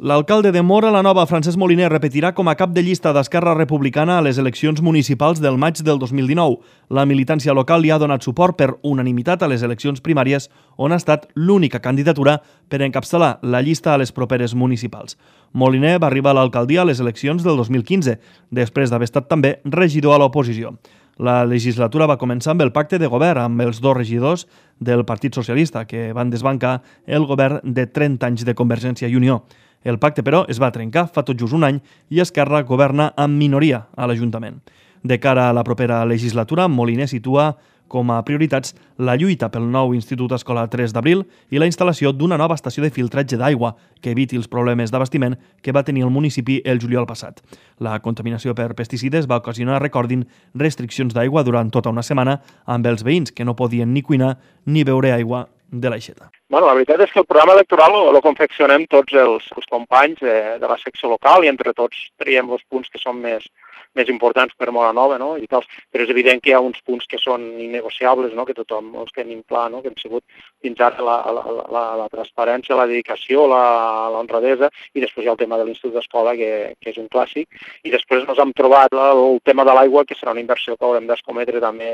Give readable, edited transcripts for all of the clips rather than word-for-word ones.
L'alcalde de Móra la Nova, Francesc Moliner, repetirà com a cap de llista d'Esquerra Republicana a les eleccions municipals del maig del 2019. La militància local li ha donat suport per unanimitat a les eleccions primàries, on ha estat l'única candidatura per encapçalar la llista a les properes municipals. Moliner va arribar a l'alcaldia a les eleccions del 2015, després d'haver estat també regidor a l'oposició. La legislatura va començar amb el pacte de govern amb els dos regidors del Partit Socialista, que van desbancar el govern de 30 anys de Convergència i Unió. El pacte, però, es va trencar fa tot just un any i Esquerra governa amb minoria a l'Ajuntament. De cara a la propera legislatura, Moliner situa com a prioritats la lluita pel nou Institut Escolar 3 d'Abril i la instal·lació d'una nova estació de filtratge d'aigua que eviti els problemes d'abastiment que va tenir el municipi el juliol passat. La contaminació per pesticides va ocasionar, recordin, restriccions d'aigua durant tota una setmana amb els veïns que no podien ni cuinar ni beure aigua de l'aixeta. La veritat és que el programa electoral lo confeccionem tots els companys de la secció local i entre tots triem els punts que són més importants per Móra Nova, no? I tal. Però és evident que hi ha uns punts que són innegociables, no? Que tothom els tenim clar, no? Que han sigut fins ara la transparència, la dedicació, l'honradesa, i després hi ha el tema de l'Institut d'Escola, que és un clàssic, i després ens hem trobat el tema de l'aigua, que serà una inversió que haurem d'escometre també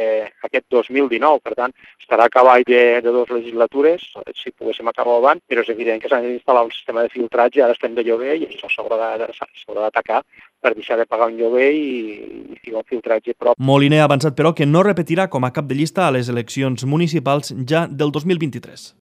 aquest 2019, per tant, estarà a cavall de dues legislatures, si poguéssim acabar abans, però és evident que s'ha d'instal·lar un sistema de filtratge, ara estem de lloguer i això s'haurà d'atacar per deixar de pagar un lloguer i ficar un filtratge prop. Moliner ha avançat, però, que no repetirà com a cap de llista a les eleccions municipals ja del 2023.